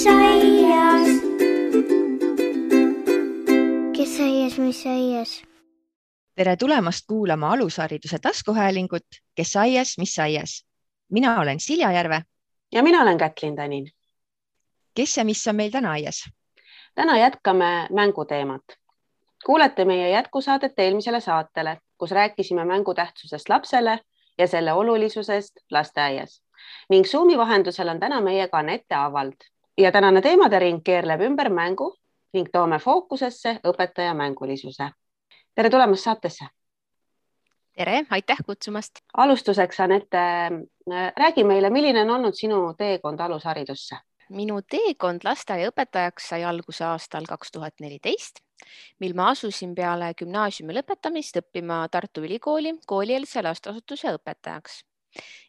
aias? Kes aias, mis aias? Tere tulemast kuulama alushariduse taskuhäälingut Kes aias, mis aias. Mina olen Silja Järve. Ja mina olen Kätlin Tänin. Kes ja mis on meil täna aias? Täna jätkame mänguteemat. Kuulete meie jätkusaadet eelmisele saatele, kus rääkisime mängu tähtsusest lapsele ja selle olulisusest lasteaias. Ning Zoomi vahendusel on täna meiega Anette Avald. Ja tänane teemade ring keerleb ümber mängu ning toome fookusesse õpetaja mängulisuse. Tere tulemast saatesse. Tere, aitäh kutsumast. Alustuseks, Anette, räägi meile, milline on olnud sinu teekond alusharidusse? Minu teekond lasteaiaõpetajaks sai alguse aastal 2014, mil ma asusin peale gümnaasiumi lõpetamist õppima Tartu Ülikooli koolieelse lasteasutuse õpetajaks.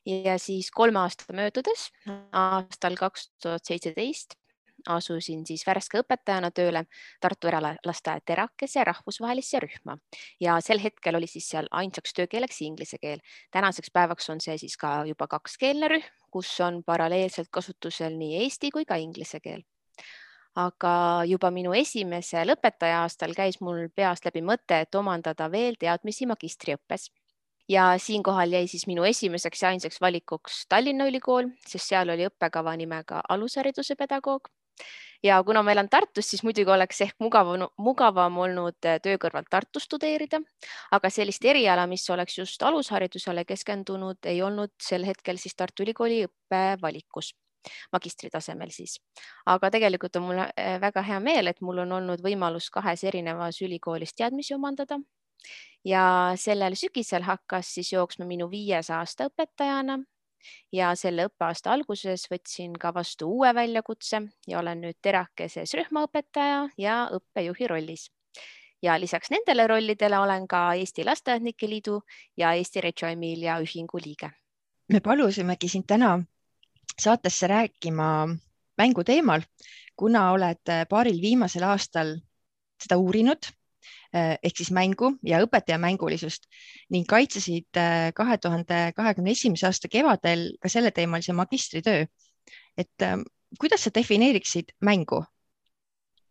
Ja siis 3 aasta möödudes aastal 2017 asusin siis värske õpetajana tööle Tartu eralasteaia Terakese rahvusvahelisse rühma ja sel hetkel oli siis seal ainsaks töökeeleks inglise keel. Tänaseks päevaks on see siis ka juba 2-keelne rühm, kus on paralleelselt kasutusel nii eesti kui ka inglise keel. Aga juba minu esimesel õpetaja aastal käis mul peast läbi mõte, et omandada veel teadmisi magistriõppes. Ja siinkohal jäi siis minu esimeseks ja ainsaks valikuks Tallinna Ülikool, sest seal oli õppekava nimega alushariduse pedagoog. Ja kuna ma elan Tartus, siis muidugi oleks ehk mugavam olnud töö kõrvalt Tartu studeerida, aga sellist eriala, mis oleks just alusharidusele keskendunud, ei olnud sel hetkel siis Tartu Ülikooli õppevalikus, magistritasemel siis. Aga tegelikult on mul väga hea meel, et mul on olnud võimalus 2 erinevas ülikoolis teadmisi omandada. Ja sellel sügisel hakkas siis jooksma minu 5. aasta õpetajana. Ja selle õppeaasta alguses võtsin ka vastu uue väljakutse ja olen nüüd Terakeses rühmaõpetaja ja õppejuhi rollis. Ja lisaks nendele rollidele olen ka Eesti Lasteaednike Liidu ja Eesti Reggio Emilia ühingu liige. Me palusimegi sind täna saatesse rääkima mängu teemal, kuna oled paaril viimasel aastal seda uurinud, ehk siis mängu ja õpetaja mängulisust ning kaitsesid 2021. aasta kevadel ka selle teemalise magistritöö. Et kuidas sa defineeriksid mängu?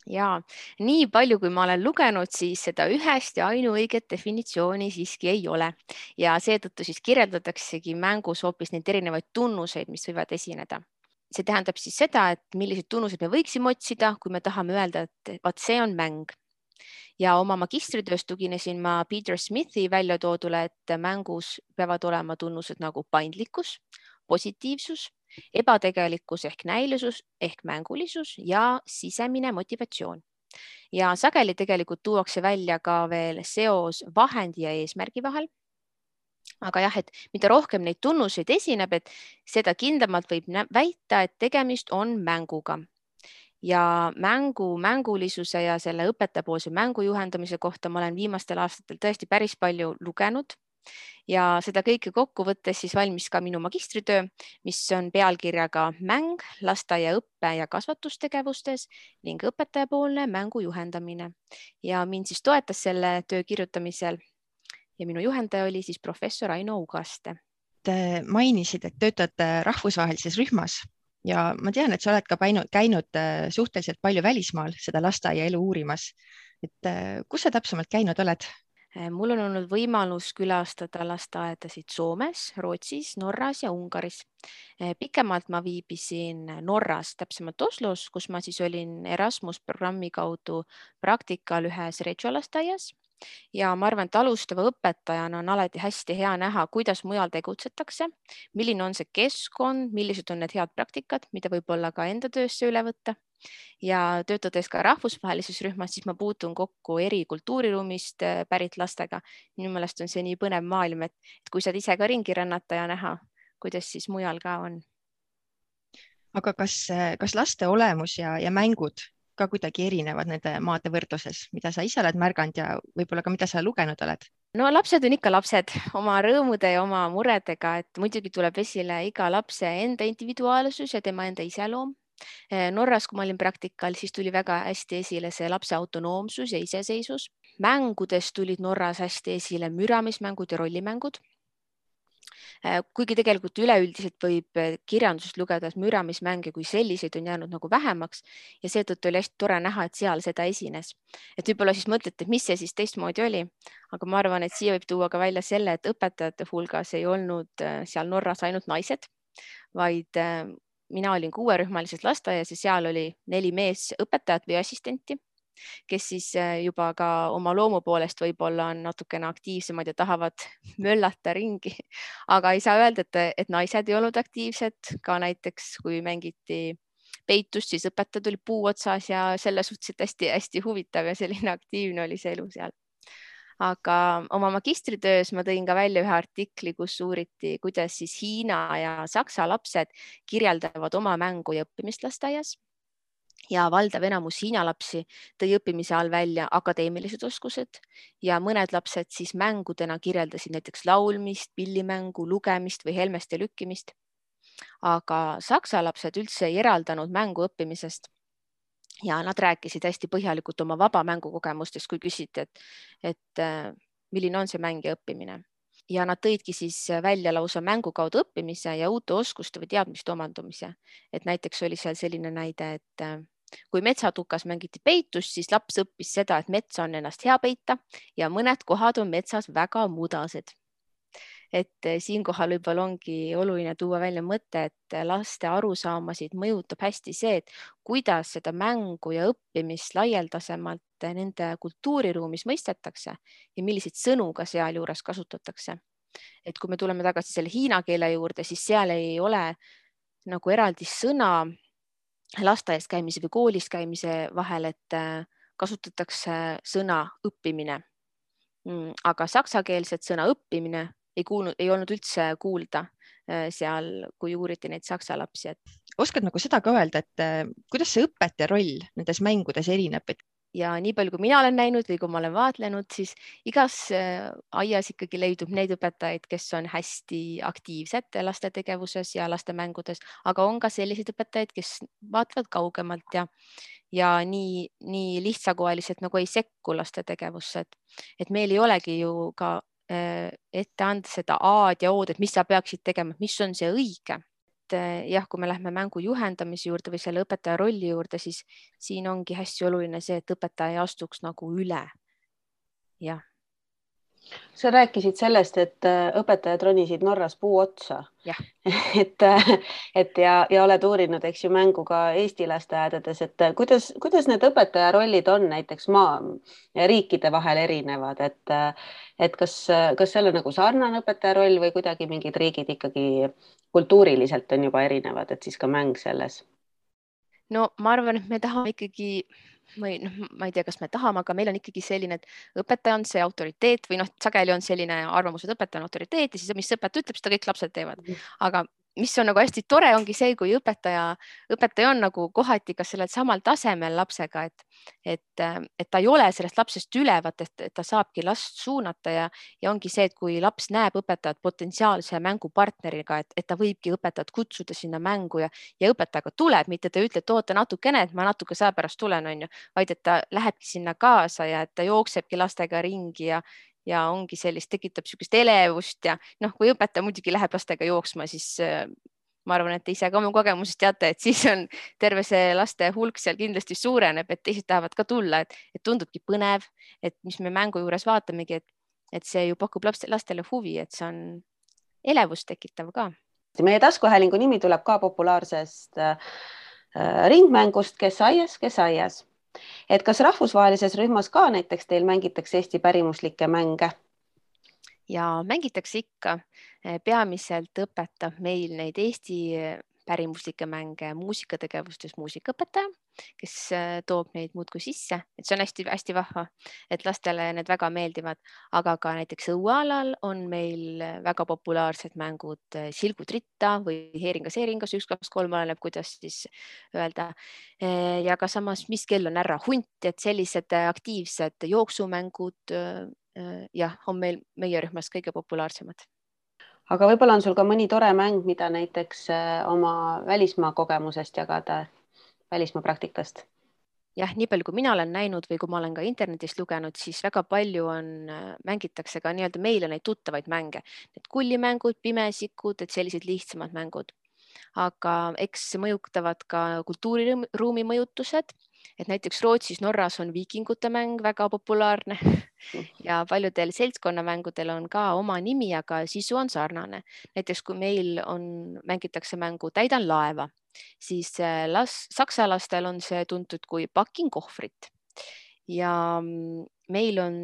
Ja nii palju, kui ma olen lugenud, siis seda ühest ja ainuõiget definitsiooni siiski ei ole. Ja seetõttu siis kirjeldataksegi mängus hoopis neid erinevaid tunnuseid, mis võivad esineda. See tähendab siis seda, et millised tunnused me võiksime otsida, kui me tahame öelda, et vaat see on mäng. Ja oma magistritöös tuginesin ma Peter Smithi välja toodule, et mängus peavad olema tunnused nagu paindlikkus, positiivsus, ebategelikkus ehk näilisus ehk mängulisus ja sisemine motivatsioon. Ja sageli tegelikult tuuakse välja ka veel seos vahendi ja eesmärgi vahel. Aga jah, et mida rohkem neid tunnuseid esineb, et seda kindlamalt võib väita, et tegemist on mänguga. Ja mängulisuse ja selle õpetajapoolse mängu juhendamise kohta ma olen viimastel aastatel tõesti päris palju lugenud ja seda kõike kokku võttes siis valmis ka minu magistritöö, mis on pealkirjaga Mäng lasteaia õppe- ja kasvatustegevustes ning õpetajapoolne mängu juhendamine. Ja mind siis toetas selle töö kirjutamisel ja minu juhendaja oli siis professor Aino Ugaste. Te mainisid, et töötad rahvusvahelises rühmas. Ja ma tean, et sa oled ka käinud suhteliselt palju välismaal seda lasteaia elu uurimas. Et kus sa täpsemalt käinud oled? Mul on olnud võimalus külastada lasteaedasid Soomes, Rootsis, Norras ja Ungaris. Pikemalt ma viibisin Norras, täpsemalt Oslos, kus ma siis olin Erasmus programmi kaudu praktikal ühes Reggio lasteaias. Ja ma arvan, et alustava õpetajana on alati hästi hea näha, kuidas mujal tegutsetakse, milline on see keskkond, millised on need head praktikad, mida võib-olla ka enda töösse üle võtta. Ja töötades ka rahvusvahelises rühmas, siis ma puutun kokku eri kultuuriruumist pärit lastega. Minu meelest on see nii põnev maailm, et kui saad ise ka ringi rännata ja näha, kuidas siis mujal ka on. Aga kas laste olemus ja mängud ka kuidagi erinevad nende maade võrdluses, mida sa ise oled märganud ja võib-olla ka mida sa lugenud oled? No lapsed on ikka lapsed oma rõõmude ja oma muredega, et muidugi tuleb esile iga lapse enda individuaalsus ja tema enda iseloom. Norras, kui ma olin praktikal, siis tuli väga hästi esile see lapse autonoomsus ja iseseisvus. Mängudes tulid Norras hästi esile müramismängud ja rollimängud. Kuigi tegelikult üleüldiselt võib kirjandusest lugeda, et müramismänge kui selliseid on jäänud nagu vähemaks ja seetõttu oli hästi tore näha, et seal seda esines. Et võib-olla siis mõtlete, et mis see siis teistmoodi oli, aga ma arvan, et siia võib tuua ka välja selle, et õpetajate hulgas ei olnud seal Norras ainult naised, vaid mina olin 6-rühmalises lasteaias ja seal oli 4 meesõpetajat või assistenti, kes siis juba ka oma loomu poolest võib-olla on natukene aktiivsemad ja tahavad möllata ringi, aga ei saa öelda, et naised ei olnud aktiivsed, ka näiteks kui mängiti peitust, siis õpetajad oli puu otsas ja selle suhteliselt hästi-hästi huvitav ja selline aktiivne oli see elu seal. Aga oma magistritöös ma tõin ka välja ühe artikli, kus uuriti, kuidas siis Hiina ja Saksa lapsed kirjeldavad oma mängu ja õppimist lasteaias. Ja valdav enamus Hiina lapsi tõi õppimise all välja akadeemilised oskused ja mõned lapsed siis mängudena kirjeldasid näiteks laulmist, pillimängu, lugemist või helmeste lükkimist. Aga Saksa lapsed üldse ei eraldanud mängu õppimisest ja nad rääkisid hästi põhjalikult oma vaba mängukogemustest, kui küsiti, et milline on see mäng ja õppimine. Ja nad tõidki siis välja lausa mängu kaudu õppimise ja uute oskuste või teadmiste omandumise. Et näiteks oli seal selline näide, et kui metsatukas mängiti peitust, siis laps õppis seda, et metsa on ennast hea peita ja mõned kohad on metsas väga mudased. Et siinkohal võib-olla ongi oluline tuua välja mõte, et laste arusaamasid mõjutab hästi see, et kuidas seda mängu ja õppimist laialdasemalt nende kultuuriruumis mõistetakse ja milliseid sõnu ka sealjuures kasutatakse. Et kui me tuleme tagasi selle hiina keele juurde, siis seal ei ole nagu eraldi sõna lasteaias käimise või koolis käimise vahel, et kasutatakse sõna õppimine. Aga saksakeelset sõna õppimine ei olnud üldse kuulda seal, kui uuriti neid saksa lapsi. Oskad nagu seda ka öelda, et kuidas see õpetaja roll nendes mängudes erineb? Ja nii palju, kui mina olen näinud või kui ma olen vaatlenud, siis igas aias ikkagi leidub neid õpetajaid, kes on hästi aktiivsed laste tegevuses ja laste mängudes, aga on ka selliseid õpetajaid, kes vaatavad kaugemalt ja nii lihtsakoeliselt nagu ei sekku laste tegevusse. Et meil ei olegi ju ka ette anda seda A-d ja O-d, et mis sa peaksid tegema, mis on see õige. Jah, kui me lähme mängu juhendamise juurde või selle õpetaja rolli juurde, siis siin ongi hästi oluline see, et õpetaja ei astuks nagu üle. Jah. Sa rääkisid sellest, et õpetajad ronisid Norras puu otsa. Ja. ja oled uurinud, eks ju, mängu ka Eesti lasteaedades, et kuidas need õpetaja rollid on näiteks riikide vahel erinevad, et kas seal on nagu sarnane õpetaja roll või kuidagi mingid riigid ikkagi kultuuriliselt on juba erinevad, et siis ka mäng selles? No ma arvan, et me tahame ikkagi ma ei tea, kas me tahame, aga meil on ikkagi selline, et õpetaja on see autoriteet või sageli on selline arvamus, et õpetaja on autoriteet ja siis mis õpetaja ütleb, seda kõik lapsed teevad. Aga mis on nagu hästi tore, ongi see, kui õpetaja on nagu kohati ka sellel samal tasemel lapsega, et ta ei ole sellest lapsest ülevat, et ta saabki last suunata ja ongi see, et kui laps näeb õpetajat potentsiaalse mängupartneriga, et ta võibki õpetajat kutsuda sinna mängu ja õpetajaga tuleb, mitte ta ütleb, et oota natukene, et ma natuke saa pärast tulen, on ju, vaid et ta lähebki sinna kaasa ja et ta jooksebki lastega ringi ja ongi sellist, tekitab niisugust elevust ja kui õpetaja muidugi läheb lastega jooksma, siis ma arvan, et te ise ka oma kogemusest teate, et siis on terve see laste hulk seal kindlasti suureneb, et teised tahavad ka tulla, et tundubki põnev, et mis me mängu juures vaatamegi, et see ju pakub lastele huvi, et see on elevust tekitav ka. Meie taskuhäälingu nimi tuleb ka populaarsest ringmängust Kes aias. Et kas rahvusvahelises rühmas ka näiteks teil mängitakse Eesti pärimuslikke mänge? Ja mängitakse ikka. Peamiselt õpetab meil neid Eesti pärimuslikke mänge muusikategevustes muusikaõpetaja, kes toob neid muudkui sisse, et see on hästi-hästi vahva, et lastele need väga meeldivad, aga ka näiteks õuealal on meil väga populaarsed mängud Silgud ritta või Heeringas, 1, 2, 3, oleneb, kuidas siis öelda. Ja ka samas, mis kell on ära hunt, et sellised aktiivsed jooksumängud on meie rühmas kõige populaarsemad. Aga võib-olla on sul ka mõni tore mäng, mida näiteks oma välismaa kogemusest jagada, välismaa praktikast? jah, nii palju, kui mina olen näinud või kui ma olen ka internetist lugenud, siis väga palju mängitakse ka nii-öelda meile neid tuttavaid mänge, need kullimängud, pimesikud, et sellised lihtsamad mängud. Aga eks mõjutavad ka kultuuriruumi mõjutused, et näiteks Rootsis, Norras on viikingute mäng väga populaarne ja paljudel seltskonnamängudel on ka oma nimi, aga sisu on sarnane. Näiteks kui meil mängitakse mängu Täidan laeva, siis saksa lastel on see tuntud kui Pakin kohvrit ja meil on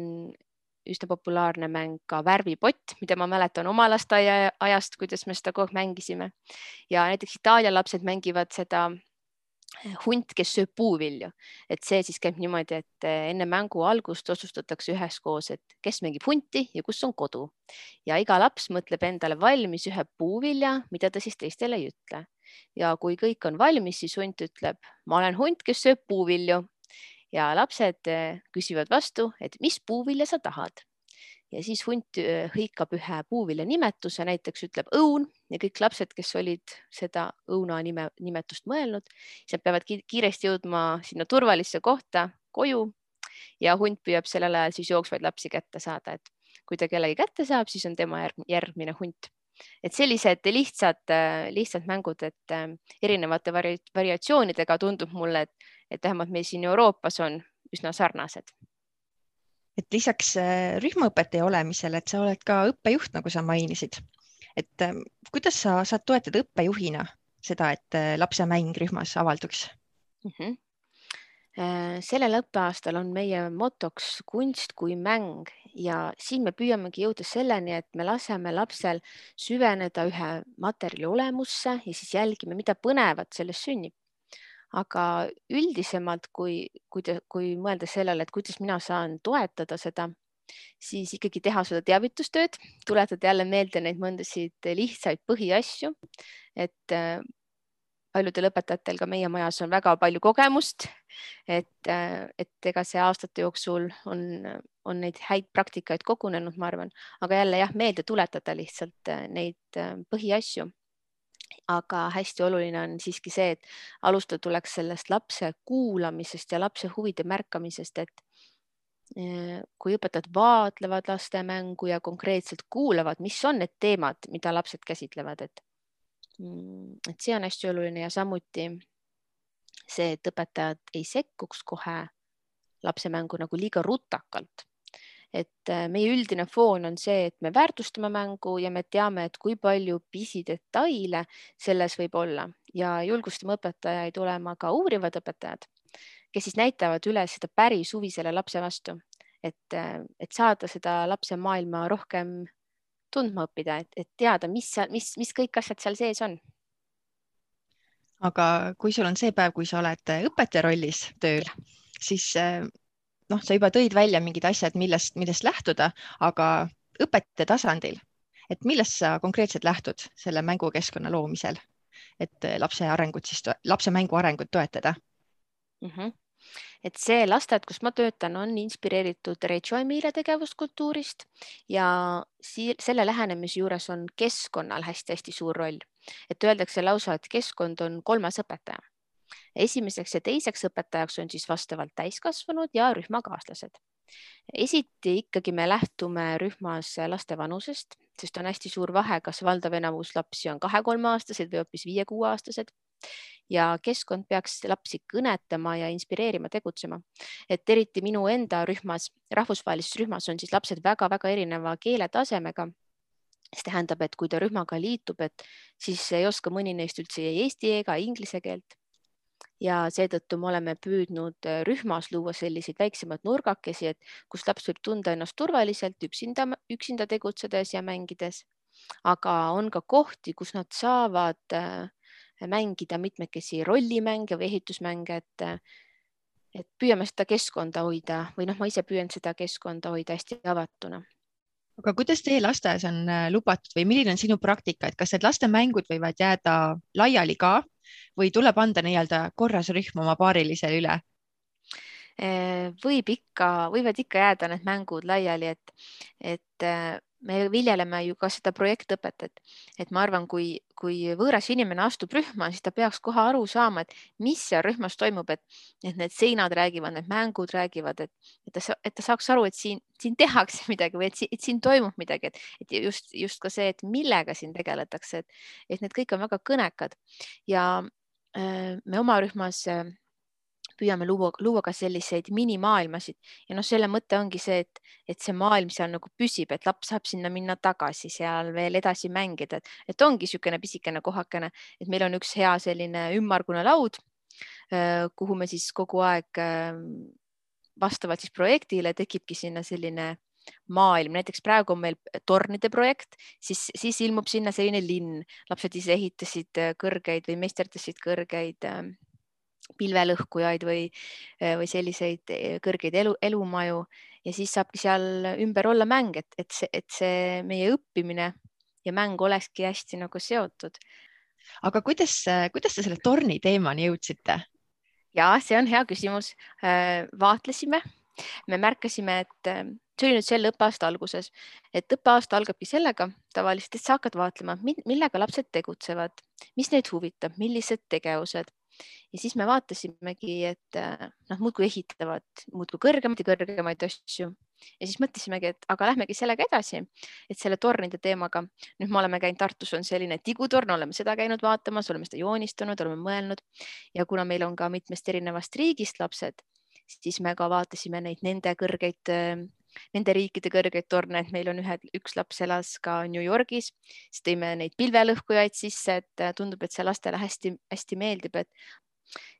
üsna populaarne mäng ka Värvipott, mida ma mäletan oma lasteaia ajast, kuidas me seda kogu aeg mängisime. Ja näiteks Itaalia lapsed mängivad seda Hunt, kes sööb puuvilju, et see siis käib niimoodi, et enne mängu algust otsustatakse üheskoos, et kes mängib hunti ja kus on kodu. Ja iga laps mõtleb endale valmis ühe puuvilja, mida ta siis teistele ei ütle. Ja kui kõik on valmis, siis hunt ütleb, ma olen hunt, kes sööb puuvilju. Ja lapsed küsivad vastu, et mis puuvilja sa tahad. Ja siis hunt hõikab ühe puuvilja nimetuse, näiteks ütleb õun ja kõik lapsed, kes olid seda õuna nimetust mõelnud, siis peavad kiiresti jõudma sinna turvalisse kohta koju ja hunt püüab sellel ajal siis jooksvaid lapsi kätte saada, et kui ta kellegi kätte saab, siis on tema järgmine hunt. Et sellised lihtsad mängud, et erinevate variatsioonidega tundub mulle, et vähemalt meil siin Euroopas on üsna sarnased. Et lisaks rühmaõpetaja olemisele, et sa oled ka õppejuht, nagu sa mainisid. Et kuidas sa saad toetada õppejuhina seda, et lapse mäng rühmas avalduks? Sellel õppeaastal on meie motoks kunst kui mäng ja siin me püüamegi jõuda selleni, et me laseme lapsel süveneda ühe materjali olemusse ja siis jälgime, mida põnevat sellest sünnib. Aga üldisemalt, kui mõelda sellele, et kuidas mina saan toetada seda, siis ikkagi teha seda teavitustööd, tuletada jälle meelde neid mõndasid lihtsaid põhiasju, et paljudel õpetajatel ka meie majas on väga palju kogemust, et ega see aastate jooksul on neid häid praktikaid kogunenud, ma arvan, aga jälle meelde tuletada lihtsalt neid põhiasju. Aga hästi oluline on siiski see, et alustada tuleks sellest lapse kuulamisest ja lapse huvide märkamisest, et kui õpetajad vaatlevad laste mängu ja konkreetselt kuulavad, mis on need teemad, mida lapsed käsitlevad, et see on hästi oluline ja samuti see, et õpetajad ei sekkuks kohe lapse mängu nagu liiga rutakalt. Et meie üldine foon on see, et me väärtustame mängu ja me teame, et kui palju pisidetaile selles võib olla ja julgustame õpetajaid olema ka uurivad õpetajad, kes siis näitavad üles seda päris huvi selle lapse vastu, et saada seda lapse maailma rohkem tundma õppida, et teada, mis kõik asjad seal sees on. Aga kui sul on see päev, kui sa oled õpetaja rollis tööl, siis sa juba tõid välja mingid asjad, millest lähtuda, aga õpetaja tasandil, et millest sa konkreetselt lähtud selle mängukeskkonna loomisel, et lapse mängu arengut toetada? Et see lasteaed, kus ma töötan, on inspireeritud Reggio Emilia tegevuskultuurist ja selle lähenemise juures on keskkonnal hästi-hästi suur roll. Et öeldakse lausa, et keskkond on 3. õpetaja. Esimeseks ja teiseks õpetajaks on siis vastavalt täiskasvanud ja rühmakaaslased. Esiti ikkagi me lähtume rühmas laste vanusest, sest on hästi suur vahe, kas valdav enamus lapsi on 2-3-aastased või hoopis 5-6-aastased. Ja keskkond peaks lapsi kõnetama ja inspireerima tegutsema. Et eriti minu enda rühmas, rahvusvahelises rühmas on siis lapsed väga-väga erineva keeletasemega. See tähendab, et kui ta rühmaga liitub, et siis ei oska mõni neist üldse ei eesti ega inglise keelt. Ja seetõttu me oleme püüdnud rühmas luua selliseid väiksemaid nurgakesi, et kus laps võib tunda ennast turvaliselt üksinda tegutsedes ja mängides. Aga on ka kohti, kus nad saavad mängida mitmekesi rollimänge või ehitusmänge, et püüame seda keskkonda hoida või ma ise püüan seda keskkonda hoida hästi avatuna. Aga kuidas teie lasteaias on lubatud või milline on sinu praktika, et kas need laste mängud võivad jääda laiali ka või tuleb anda nii-öelda korras rühm oma paarilisele üle? Võivad ikka jääda need mängud laiali, et me viljeleme ju ka seda projektõpetet, et ma arvan, kui võõras inimene astub rühma, siis ta peaks kohe aru saama, et mis seal rühmas toimub, et need seinad räägivad, need mängud räägivad, et ta saaks aru, et siin tehakse midagi või et siin toimub midagi, et just ka see, et millega siin tegeletakse, et need kõik on väga kõnekad ja me oma rühmas püüame luua ka selliseid minimaailmasid ja selle mõte ongi see, et see maailm seal nagu püsib, et laps saab sinna minna tagasi, seal veel edasi mängida, et ongi niisugune pisikene kohakene, et meil on üks hea selline ümmargune laud, kuhu me siis kogu aeg vastavalt siis projektile tekibki sinna selline maailm, näiteks praegu on meil tornide projekt, siis ilmub sinna selline linn, lapsed ise ehitasid kõrgeid või meisterdasid kõrgeid pilvelõhkujaid või selliseid kõrgeid elumaju ja siis saabki seal ümber olla mäng, et see meie õppimine ja mäng olekski hästi nagu seotud. Aga kuidas te selle torni teemani jõudsite? Ja, see on hea küsimus. Vaatlesime, me märkasime, et see oli nüüd selle õppeaasta alguses, et õppeaasta algabki sellega tavaliselt, et sa hakkad vaatlema, millega lapsed tegutsevad, mis neid huvitab, millised tegevused. Ja siis me vaatasimegi, et nad muudkui ehitavad muudkui kõrgemaid ja kõrgemaid asju. Ja siis mõtlesimegi, et aga lähmegi sellega edasi, et selle tornide teemaga. Nüüd me oleme käinud Tartus, on selline tigutorn, oleme seda käinud vaatamas, oleme seda joonistanud, oleme mõelnud. Ja kuna meil on ka mitmest erinevast riigist lapsed, siis me ka vaatasime nende riikide kõrgeid torne, et meil on üks laps elas ka New Yorgis, siis tõime neid pilvelõhkujaid sisse, et tundub, et see lastele hästi meeldib, et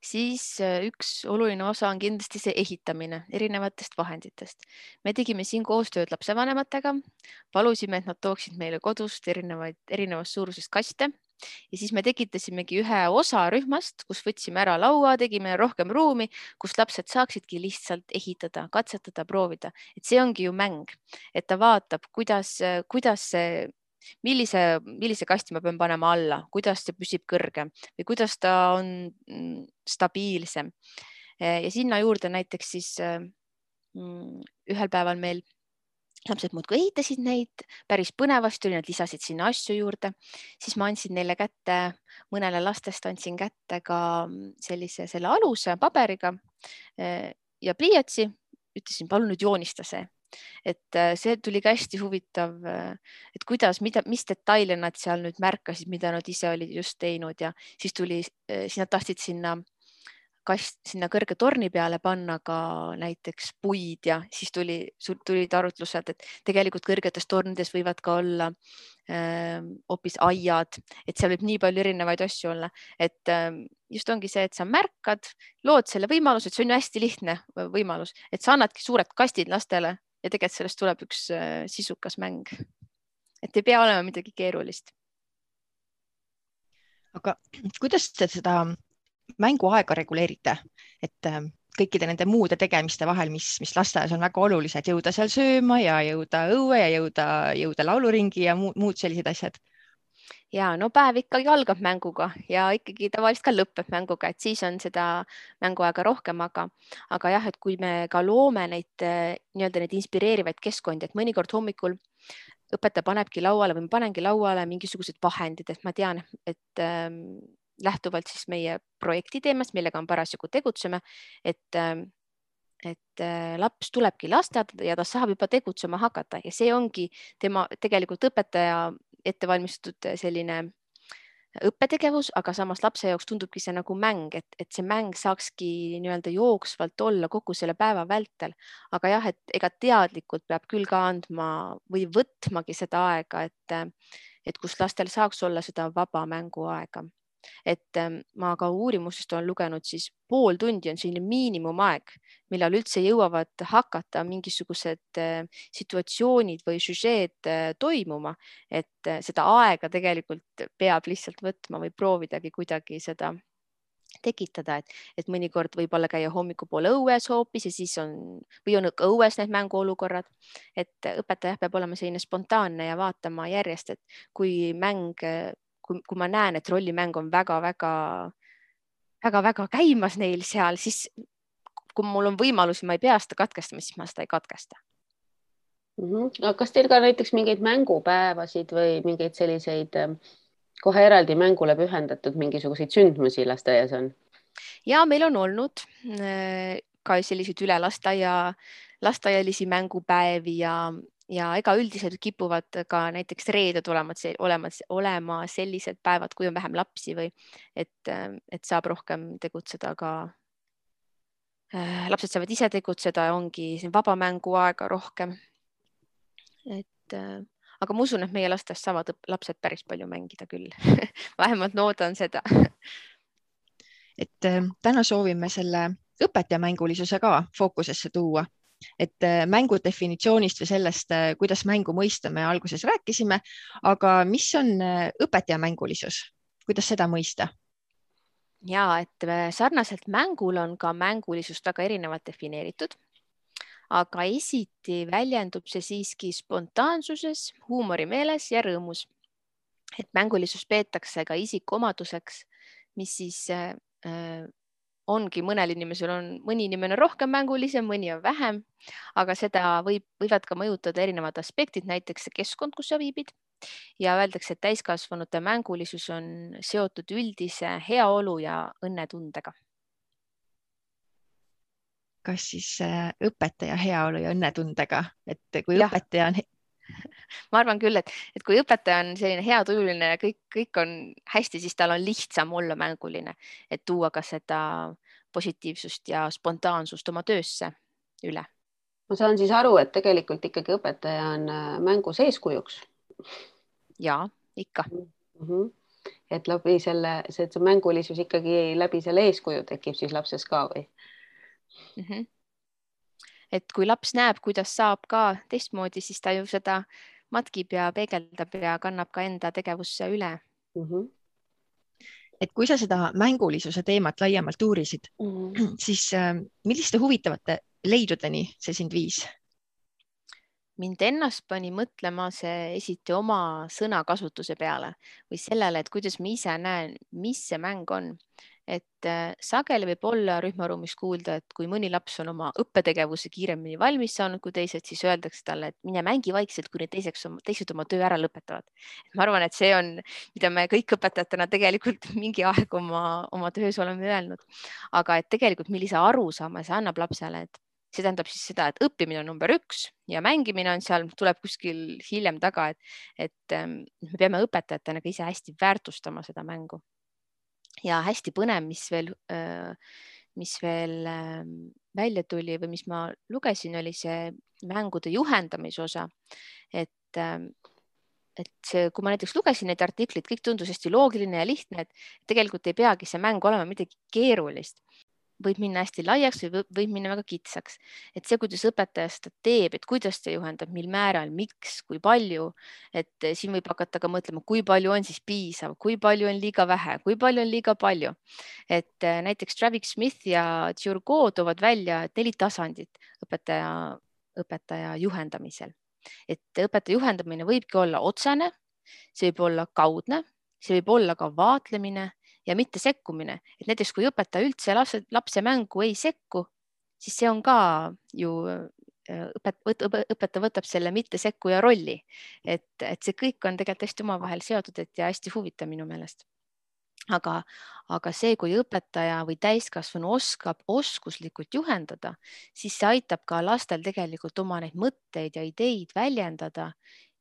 siis üks oluline osa on kindlasti see ehitamine erinevatest vahenditest. Me tegime siin koostööd lapsevanematega, palusime, et nad tooksid meile kodust erinevast suurusest kaste ja siis me tekitasimegi ühe osa rühmast, kus võtsime ära laua, tegime rohkem ruumi, kus lapsed saaksidki lihtsalt ehitada, katsetada, proovida. Et see ongi ju mäng, et ta vaatab, millise kasti ma pean panema alla, kuidas see püsib kõrgem või kuidas ta on stabiilsem. Ja sinna juurde näiteks siis ühel päeval meil lapsed muudkui ehitasid neid, päris põnevasti oli, nad lisasid sinna asju juurde, siis ma andsin neile kätte, mõnele lastest andsin kätte ka selle aluse paberiga ja pliiatsi, ütlesin, palun nüüd joonista see. Et see tuli ka hästi huvitav, et mis detaile nad seal nüüd märkasid, mida nad ise olid just teinud ja siis nad tahtsid sinna kõrge torni peale panna ka näiteks puid ja siis tulid arutlused, et tegelikult kõrgetes tornides võivad ka olla hoopis aiad, et seal võib nii palju erinevaid asju olla, et just ongi see, et sa märkad, lood selle võimaluse, et see on ju hästi lihtne võimalus, et sa annadki suured kastid lastele ja tegelikult sellest tuleb üks sisukas mäng. Et ei pea olema midagi keerulist. Aga kuidas te seda mänguaega reguleerite, et kõikide nende muude tegemiste vahel, mis lasteaias on väga olulised, jõuda seal sööma ja jõuda õue ja jõuda lauluringi ja muud sellised asjad? Ja no päev ikkagi algab mänguga ja ikkagi tavaliselt ka lõpeb mänguga, et siis on seda mänguaega rohkem, aga jah, et kui me ka loome neid inspireerivaid keskkondi, et mõnikord hommikul õpetaja panebki lauale või ma panengi lauale mingisugused vahendid, et ma tean, et lähtuvalt siis meie projekti teemast, millega on parasjagu tegutseme, et laps tulebki lasteaeda ja ta saab juba tegutsema hakata ja see ongi tema tegelikult õpetaja ettevalmistatud selline õppetegevus, aga samas lapse jaoks tundubki see nagu mäng, et see mäng saakski jooksvalt olla kogu selle päeva vältel. Aga jah, et ega teadlikult peab küll ka andma või võtmagi seda aega, et kus lastel saaks olla seda vaba mänguaega. Et ma ka uurimustest olen lugenud, siis pool tundi on selline miinimumaeg, millal üldse jõuavad hakata mingisugused situatsioonid või süžeed toimuma, et seda aega tegelikult peab lihtsalt võtma või proovidagi kuidagi seda tekitada, et mõnikord võib olla käia hommikupoole õues hoopis ja siis on õues need mänguolukorrad, et õpetaja peab olema selline spontaanne ja vaatama järjest, et kui ma näen, et rollimäng on väga käimas neil seal, siis kui mul on võimalus, ma ei pea seda katkestama, siis ma seda ei katkesta. Aga kas teil ka näiteks mingeid mängupäevasid või mingeid selliseid kohe eraldi mängule pühendatud mingisuguseid sündmusi lasteaias on? Ja meil on olnud ka selliseid üle lasteaialisi mängupäevi ja ega üldiselt kipuvad ka näiteks reeded olema sellised päevad, kui on vähem lapsi või et saab rohkem tegutseda ka. Lapsed saavad ise tegutseda, ongi siin vaba mänguaega rohkem. Aga ma usun, et meie lastes saavad lapsed päris palju mängida küll. Vähemalt loodan seda. Et täna soovime selle õpetajamängulisuse ka fookusesse tuua. Et mängu definitsioonist või sellest, kuidas mängu mõista, me alguses rääkisime, aga mis on õpetajamängulisus? Kuidas seda mõista? Ja, et sarnaselt mängul on ka mängulisust väga erinevalt defineeritud. Aga esiti väljendub see siiski spontaansuses, huumorimeeles ja rõõmus. Et mängulisus peetakse ka isikuomaduseks, mis siis ongi mõnel inimesel mõni inimene rohkem mängulisem, mõni on vähem, aga seda võivad ka mõjutada erinevad aspektid, näiteks see keskkond, kus sa viibid. Ja öeldakse, et täiskasvanute mängulisus on seotud üldise heaolu ja õnnetundega. Kas siis õpetaja heaolu ja õnnetundega, et kui õpetaja on... Ma arvan küll, et kui õpetaja on selline heatujuline ja kõik on hästi, siis tal on lihtsam olla mänguline, et tuua ka seda positiivsust ja spontaansust oma töösse üle. Ma saan siis aru, et tegelikult ikkagi õpetaja on mängus eeskujuks. Ja, ikka. Et läbi see mängulisus ikkagi läbi selle eeskuju tekib siis lapses ka või? Et kui laps näeb, kuidas saab ka teistmoodi, siis ta ju seda matkib ja peegeldab ja kannab ka enda tegevusse üle. Et kui sa seda mängulisuse teemat laiemalt uurisid, siis milliste huvitavate leidudeni see sind viis? Mind ennast pani mõtlema see esiti oma sõnakasutuse peale või sellele, et kuidas ma ise näen, mis see mäng on. Et sageli võib olla rühmaruumis kuulda, et kui mõni laps on oma õppetegevuse kiiremini valmis saanud kui teised, siis öeldakse talle, et mine mängi vaikselt, kuni teised oma töö ära lõpetavad. Ma arvan, et see on, mida me kõik õpetajatena tegelikult mingi aeg oma töös oleme öelnud. Aga et tegelikult millise arusaama see annab lapsele, et see tähendab siis seda, et õppimine on number 1 ja mängimine on seal, tuleb kuskil hiljem taga, et me peame õpetajatena ka ise hästi väärtustama seda mängu. Ja hästi põnev, mis veel välja tuli või mis ma lugesin, oli see mängude juhendamise osa. Et see, kui ma näiteks lugesin neid artikleid, kõik tundus hästi loogiline ja lihtne, et tegelikult ei peagi see mäng olema midagi keerulist. Võib minna hästi laiaks või võib minna väga kitsaks. Et see, kuidas õpetaja seda teeb, et kuidas ta juhendab, mil määral, miks, kui palju, et siin võib hakata ka mõtlema, kui palju on siis piisav, kui palju on liiga vähe, kui palju on liiga palju. Et näiteks Travis Smith ja Turgot toovad välja 4 tasandit õpetaja juhendamisel. Et õpetaja juhendamine võibki olla otsene, see võib olla kaudne, see võib olla ka vaatlemine ja mitte sekkumine. Et näiteks kui õpetaja üldse lapse mängu ei sekku, siis see on ka ju õpetaja võtab selle mitte sekkuja rolli. Et see kõik on tegelikult hästi omavahel seotud ja hästi huvitav minu meelest. Aga see, kui õpetaja või täiskasvanu oskab oskuslikult juhendada, siis see aitab ka lastel tegelikult oma neid mõtteid ja ideid väljendada.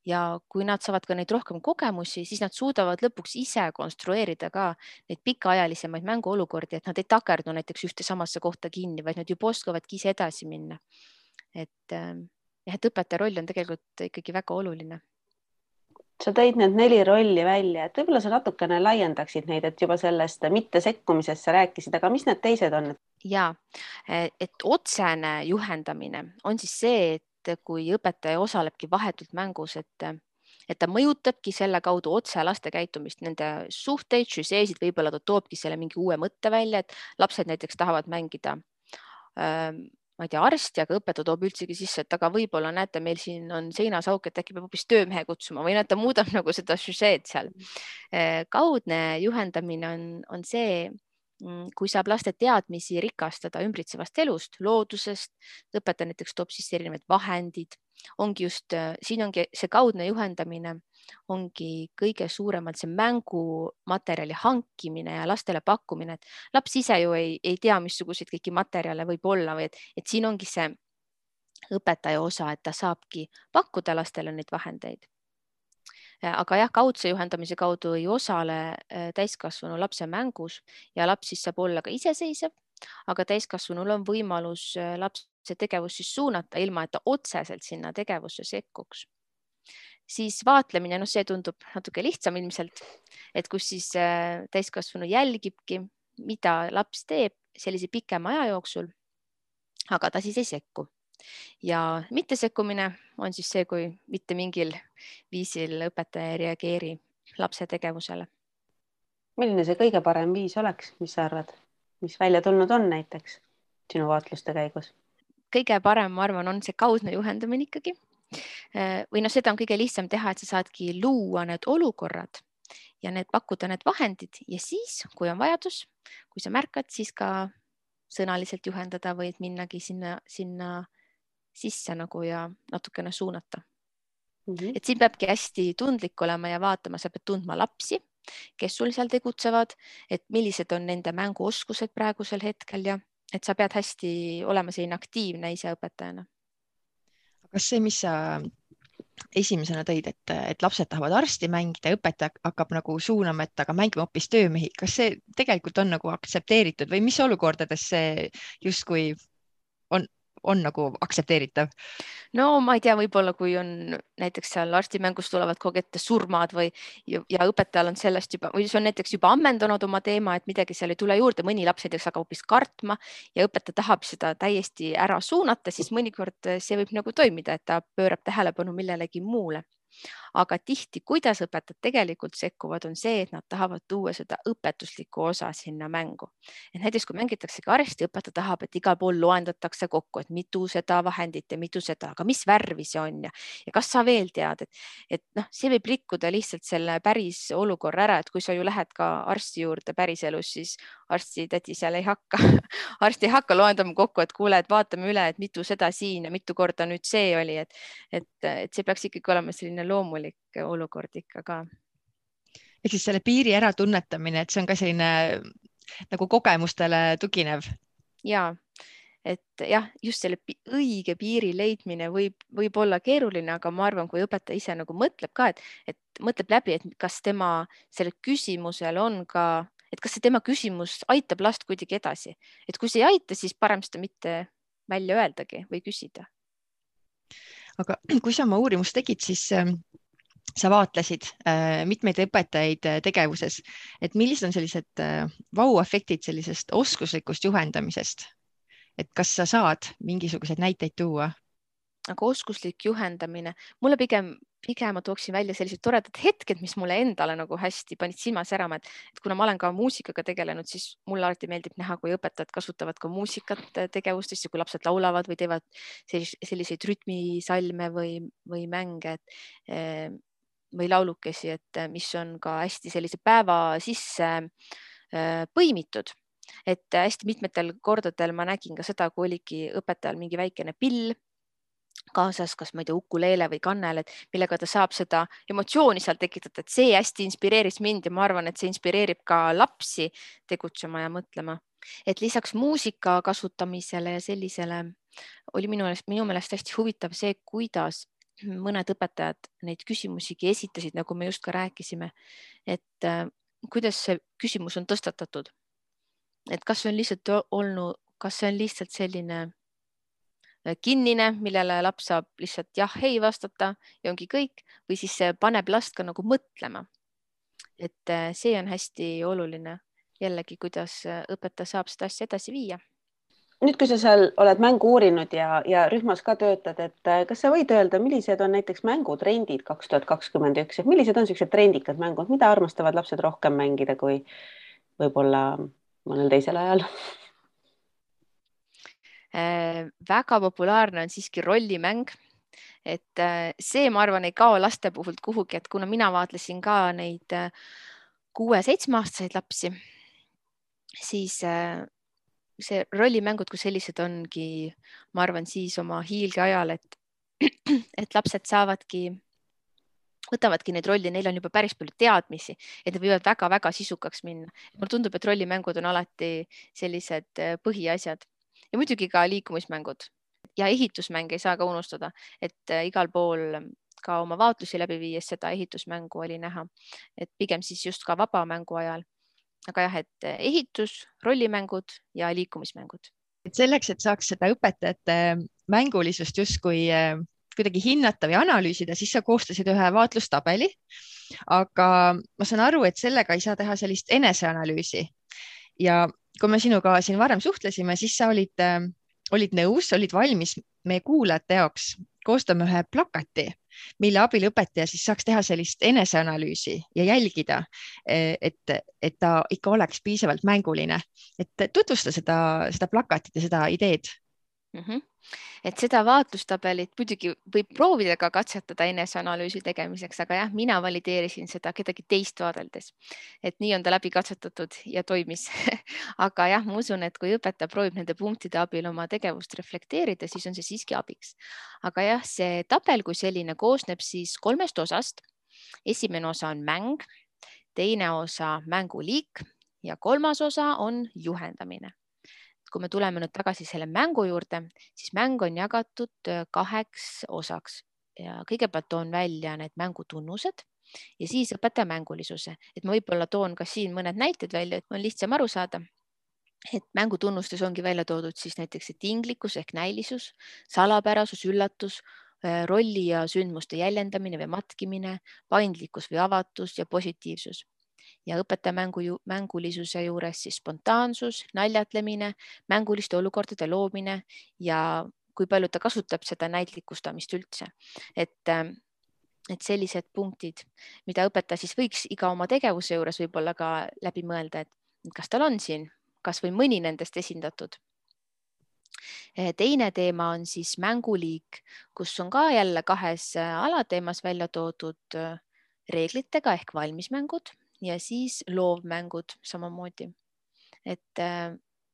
Ja kui nad saavad ka neid rohkem kogemusi, siis nad suudavad lõpuks ise konstrueerida ka neid pikaajalisemaid mänguolukordi, et nad ei takerdu näiteks ühte samasse kohta kinni, vaid nad juba oskavadki ise edasi minna. Et õpetaja roll on tegelikult ikkagi väga oluline. Sa tõid need 4 rolli välja, et võib-olla sa natukene laiendaksid neid, et juba sellest mitte sekkumisest sa rääkisid, aga mis need teised on? Ja, et otsene juhendamine on siis see, et kui õpetaja osalebki vahetult mängus, et ta mõjutabki selle kaudu otse laste käitumist, nende suhteid, žüseesid, võib-olla ta toobki selle mingi uue mõtte välja, et lapsed näiteks tahavad mängida, ma ei tea, arsti, aga õpetaja toob üldsegi sisse, et aga võib-olla näete, meil siin on seinasauk, et äkki peab hoopis töömehe kutsuma või ta muudab nagu seda žüseed seal. Kaudne juhendamine on see, kui saab laste teadmisi rikastada ümbritsevast elust, loodusest, õpetaja näiteks toob sisse erinevad vahendid, ongi just, siin ongi see kaudne juhendamine, ongi kõige suuremalt see mängumaterjali hankimine ja lastele pakkumine, et laps ise ju ei tea, missuguseid kõiki materjale võib olla või et siin ongi see õpetaja osa, et ta saabki pakkuda lastele neid vahendeid. Aga jah, kaudse juhendamise kaudu ei osale täiskasvanu lapse mängus ja laps siis saab olla ka iseseisev, aga täiskasvanul on võimalus lapse tegevust siis suunata, ilma et ta otseselt sinna tegevusse sekkuks. Siis vaatlemine, see tundub natuke lihtsam ilmselt, et kus siis täiskasvanu jälgibki, mida laps teeb sellise pikema aja jooksul, aga ta siis ei sekku. Ja mittesekkumine on siis see, kui mitte mingil viisil õpetaja ei reageeri lapse tegevusele. Milline see kõige parem viis oleks, mis sa arvad, mis välja tulnud on näiteks sinu vaatluste käigus? Kõige parem, ma arvan, on see kaudne juhendamine ikkagi. Või seda on kõige lihtsam teha, et sa saadki luua need olukorrad ja pakkuda need vahendid ja siis, kui on vajadus, kui sa märkad, siis ka sõnaliselt juhendada või minnagi sinna sisse ja natukene suunata. Et siin peabki hästi tundlik olema ja vaatama, sa pead tundma lapsi, kes sul seal tegutsevad, et millised on nende mänguoskused praegusel hetkel ja et sa pead hästi olema selline aktiivne ise õpetajana. Kas see, mis sa esimesena tõid, et lapsed tahavad arsti mängida ja õpetaja hakkab suunama, et aga mängime hoopis töömehi, kas see tegelikult on aktsepteeritud või mis olukordades see justkui on aktsepteeritav? No ma ei tea, võib-olla kui on näiteks seal arstimängus tulevad kogu ette surmad ja õpetajal on sellest juba, või see on näiteks juba ammendanud oma teema, et midagi seal ei tule juurde, mõni laps näiteks hakkab hoopis kartma ja õpetaja tahab seda täiesti ära suunata, siis mõnikord see võib toimida, et ta pöörab tähelepanu millelegi muule. Aga tihti, kuidas õpetajad tegelikult sekkuvad, on see, et nad tahavad tuua seda õpetuslikku osa sinna mängu. Et näiteks, kui mängitakse ka arsti, õpetaja tahab, et igal pool loendatakse kokku, et mitu seda vahendit ja mitu seda, aga mis värvi see on ja kas sa veel tead, et see võib rikkuda lihtsalt selle päris olukorra ära, et kui sa ju lähed ka arsti juurde päriselus, siis arsti tädi seal ei hakka, arsti ei hakka loendama kokku, et kuule, et vaatame üle, et mitu seda siin ja mitu korda nüüd see oli, et see peaks ikkagi olema selline loomulik olukord ikka ka. Et siis selle piiri ära tunnetamine, et see on ka selline kogemustele tuginev. Ja, et jah, just selle õige piiri leidmine võib olla keeruline, aga ma arvan, kui õpetaja ise mõtleb ka, et mõtleb läbi, et kas tema sellel küsimusel on ka, et kas see tema küsimus aitab last kuidagi edasi. Et kui see ei aita, siis parem seda mitte välja öeldagi või küsida. Aga kui sa oma uurimust tegid, siis sa vaatlesid mitmeid õpetajaid tegevuses, et millised on sellised vau-efektid sellisest oskuslikust juhendamisest? Et kas sa saad mingisuguseid näiteid tuua? Aga oskuslik juhendamine, mulle pigem ma tooksin välja sellised toredad hetked, mis mulle endale hästi panid silma särama, et kuna ma olen ka muusikaga tegelenud, siis mulle alati meeldib näha, kui õpetajad kasutavad ka muusikat tegevustes ja kui lapsed laulavad või teevad selliseid rütmisalme või mänge või laulukesi, et mis on ka hästi sellise päeva sisse põimitud. Et hästi mitmetel kordadel ma nägin ka seda, kui oligi õpetajal mingi väikene pill kaasas, kas ma ei tea, ukuleele või kannel, et millega ta saab seda emotsiooni seal tekitada, et see hästi inspireeris mind ja ma arvan, et see inspireerib ka lapsi tegutsema ja mõtlema. Et lisaks muusika kasutamisele ja sellisele oli minu meelest hästi huvitav see, kuidas mõned õpetajad neid küsimusigi esitasid, nagu me just ka rääkisime, et kuidas see küsimus on tõstatatud. Et kas see on lihtsalt selline kinnine, millele laps saab lihtsalt jah, ei vastata ja ongi kõik, või siis see paneb last ka mõtlema. Et see on hästi oluline jällegi, kuidas õpetaja saab seda asja edasi viia. Nüüd, kui sa seal oled mängu uurinud ja rühmas ka töötad, et kas sa võid öelda, millised on näiteks mängutrendid 2021, et millised on sellised trendikad mängud, mida armastavad lapsed rohkem mängida kui võib-olla mõnel teisel ajal? Väga populaarne on siiski rollimäng, et see, ma arvan, ei kao laste puhult kuhugi, et kuna mina vaatlesin ka neid 6-7-aastaseid lapsi, siis see rollimängud kui sellised ongi, ma arvan, siis oma hiilgeajal, et lapsed võtavadki neid rolli, neil on juba päris palju teadmisi, et need võivad väga-väga sisukaks minna. Mulle tundub, et rollimängud on alati sellised põhiasjad ja muidugi ka liikumismängud ja ehitusmänge ei saa ka unustada, et igal pool ka oma vaatlusi läbi viies seda ehitusmängu oli näha, et pigem siis just ka vaba mängu ajal. Aga jah, et ehitus, rollimängud ja liikumismängud. Et selleks, et saaks seda õpetajate mängulisust justkui kuidagi hinnata või analüüsida, siis sa koostasid ühe vaatlustabeli, aga ma saan aru, et sellega ei saa teha sellist eneseanalüüsi. Ja kui me sinuga siin varem suhtlesime, siis sa olid nõus, olid valmis meie kuulajate jaoks koostame ühe plakati, mille abil õpetaja siis saaks teha sellist eneseanalüüsi ja jälgida, et ta ikka oleks piisavalt mänguline. Et tutvusta seda plakatit ja seda ideed. Et seda vaatlustabelit muidugi võib proovida ka katsetada eneseanalüüsi tegemiseks, aga jah, mina valideerisin seda kedagi teist vaadeldes, et nii on ta läbi katsetatud ja toimis. Aga jah, ma usun, et kui õpetaja proovib nende punktide abil oma tegevust reflekteerida, siis on see siiski abiks. Aga jah, see tabel kui selline koosneb siis 3 osast. Esimene osa on mäng, teine osa mänguliik ja 3. osa on juhendamine. Kui me tuleme nüüd tagasi selle mängu juurde, siis mäng on jagatud 2 osaks ja kõigepealt toon välja need mängutunnused ja siis õpetaja mängulisuse. Et ma võib-olla toon ka siin mõned näited välja, et on lihtsam aru saada. Et mängutunnustes ongi välja toodud siis näiteks tinglikkus ehk näilisus, salapärasus, üllatus, rolli ja sündmuste jäljendamine või matkimine, paindlikkus või avatus ja positiivsus. Ja õpetaja mängulisuse juures siis spontaansus, naljatlemine, mänguliste olukordade loomine ja kui palju ta kasutab seda näitlikustamist üldse. Et sellised punktid, mida õpetaja siis võiks iga oma tegevuse juures võib-olla ka läbi mõelda, et kas tal on siin kas või mõni nendest esindatud. Teine teema on siis mänguliik, kus on ka jälle 2 alateemas välja toodud reeglitega ehk valmismängud ja siis loovmängud samamoodi. Et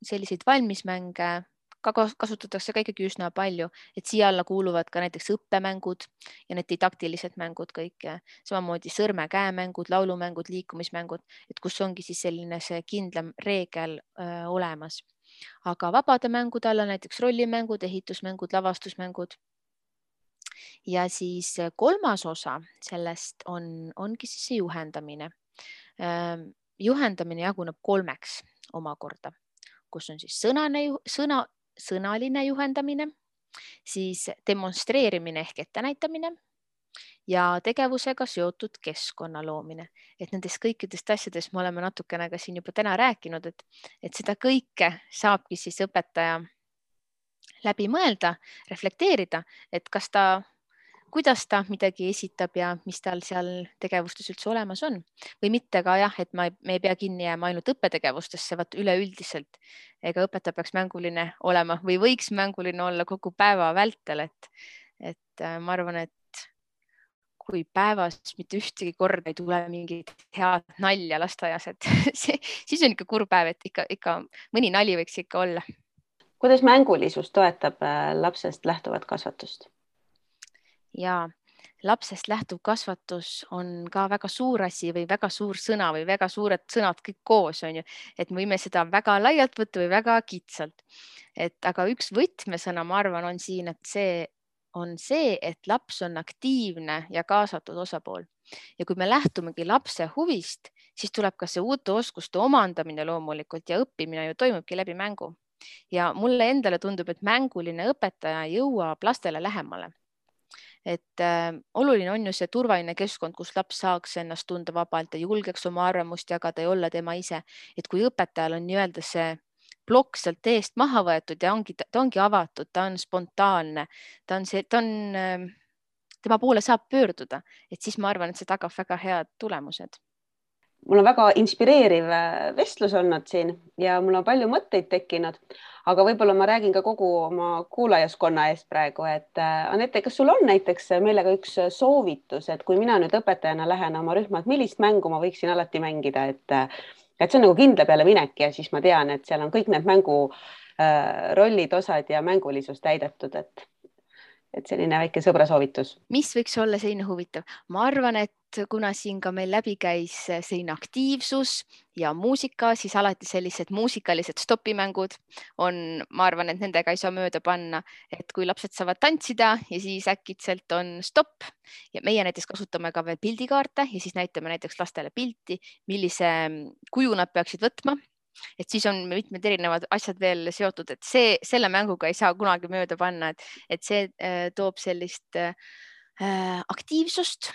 selliseid valmismänge ka kasutatakse ka ikkagi üsna palju, et siia alla kuuluvad ka näiteks õppemängud ja need didaktilised mängud kõik. Samamoodi sõrme-käemängud, laulumängud, liikumismängud, et kus ongi siis selline see kindlam reegel olemas. Aga vabade mängude alla näiteks rollimängud, ehitusmängud, lavastusmängud. Ja siis 3. osa sellest ongi siis see juhendamine. Juhendamine jaguneb 3 omakorda, kus on siis sõnaline juhendamine, siis demonstreerimine ehk ettenäitamine ja tegevusega seotud keskkonna loomine. Et nendest kõikidest asjadest me oleme natukene ka siin juba täna rääkinud, et seda kõike saabki siis õpetaja läbi mõelda, reflekteerida, et kuidas ta midagi esitab ja mis tal seal tegevustes üldse olemas on. Või mitte ka jah, et me ei pea kinni jääma ainult õppetegevustesse, vaat üleüldiselt. Ega õpetaja peaks mänguline olema või võiks mänguline olla kogu päeva vältel. Et ma arvan, et kui päevas mitte ühtegi korda ei tule mingit head nalja lasteaias, et siis on ikka kurb päev, et ikka mõni nali võiks ikka olla. Kuidas mängulisus toetab lapsest lähtuvat kasvatust? Ja lapsest lähtuv kasvatus on ka väga suur asi või väga suur sõna või väga suured sõnad kõik koos on ju, et me võime seda väga laialt võtta või väga kitsalt. Aga üks võtmesõna, ma arvan, on siin, et see on see, et laps on aktiivne ja kaasatud osapool. Ja kui me lähtumegi lapse huvist, siis tuleb ka see uute oskuste omandamine loomulikult ja õppimine ju toimubki läbi mängu. Ja mulle endale tundub, et mänguline õpetaja jõuab lastele lähemale. Et oluline on ju see turvaline keskkond, kus laps saaks ennast tunda vabalt ja julgeks oma arvamust jagada ja olla tema ise. Et kui õpetajal on nii-öelda see plokk sealt eest maha võetud ja ta ongi avatud, ta on spontaanne, tema poole saab pöörduda, et siis ma arvan, et see tagab väga head tulemused. Mul on väga inspireeriv vestlus olnud siin ja mul on palju mõtteid tekkinud, aga võib-olla ma räägin ka kogu oma kuulajaskonna eest praegu, et Anette, kas sul on näiteks meile ka üks soovitus, et kui mina nüüd õpetajana lähen oma rühma, et millist mängu ma võiksin alati mängida, et see on nagu kindla peale minek ja siis ma tean, et seal on kõik need mängu rollid, osad ja mängulisus täidetud, et selline väike sõbra soovitus. Mis võiks olla selline huvitav? Ma arvan, et kuna siin ka meil läbi käis selline aktiivsus ja muusika, siis alati sellised muusikalised stopimängud on, ma arvan, et nendega ei saa mööda panna, et kui lapsed saavad tantsida ja siis äkitselt on stopp ja meie näiteks kasutame ka veel pildikaarte ja siis näitame näiteks lastele pilti, millise kuju nad peaksid võtma. Et siis on mitmed erinevad asjad veel seotud, et selle mänguga ei saa kunagi mööda panna, et see toob sellist aktiivsust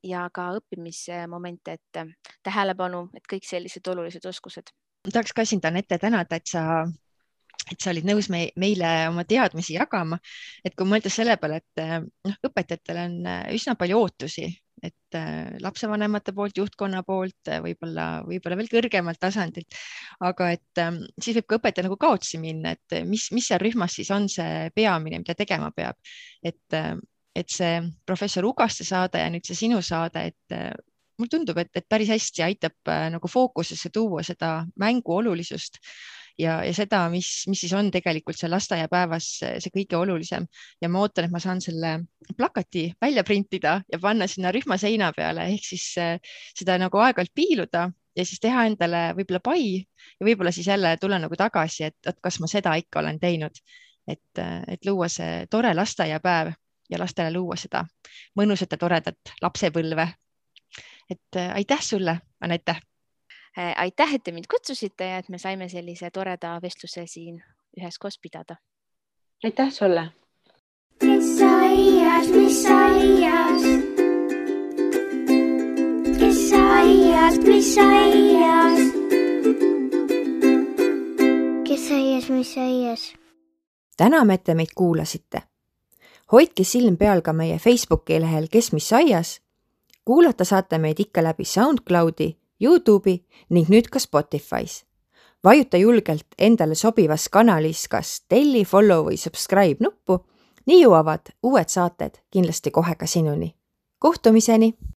ja ka õppimismomente, et tähelepanu, et kõik sellised olulised oskused. Tahaks ka sind, Anette, tänada, et sa olid nõus meile oma teadmisi jagama, et kui mõelda selle peale, et õpetajatel on üsna palju ootusi, et lapsevanemate poolt, juhtkonna poolt, võib-olla veel kõrgemalt tasandilt, aga et siis võib ka õpetaja nagu kaotsi minna, et mis seal rühmas siis on see peamine, mida tegema peab, et see professor Ugaste saade ja nüüd see sinu saade, et mul tundub, et päris hästi aitab nagu fookusesse tuua seda mängu olulisust ja seda, mis siis on tegelikult seal lasteaiapäevas see kõige olulisem. Ja ma ootan, et ma saan selle plakati välja printida ja panna sinna rühma seina peale, ehk siis seda nagu aeg-ajalt piiluda ja siis teha endale võib-olla pai ja võib-olla siis jälle tulla nagu tagasi, et kas ma seda ikka olen teinud, et luua see tore lasteaiapäev ja lastele luua seda mõnusat ja toredat lapsepõlve. Et aitäh sulle, Anette! Aitäh, et te mind kutsusite ja et me saime sellise toreda vestluse siin üheskoos pidada. Aitäh sulle! Kes aias, mis aias? Kes aias, mis aias? Kes aias, mis aias? Täname, et te meid kuulasite. Hoidke silm peal ka meie Facebooki lehel Kes mis aias. Kuulata saate meid ikka läbi SoundCloudi, YouTube'i ning nüüd ka Spotify's. Vajuta julgelt endale sobivas kanalis kas telli, follow või subscribe nuppu, nii jõuavad uued saated kindlasti kohe ka sinuni. Kohtumiseni!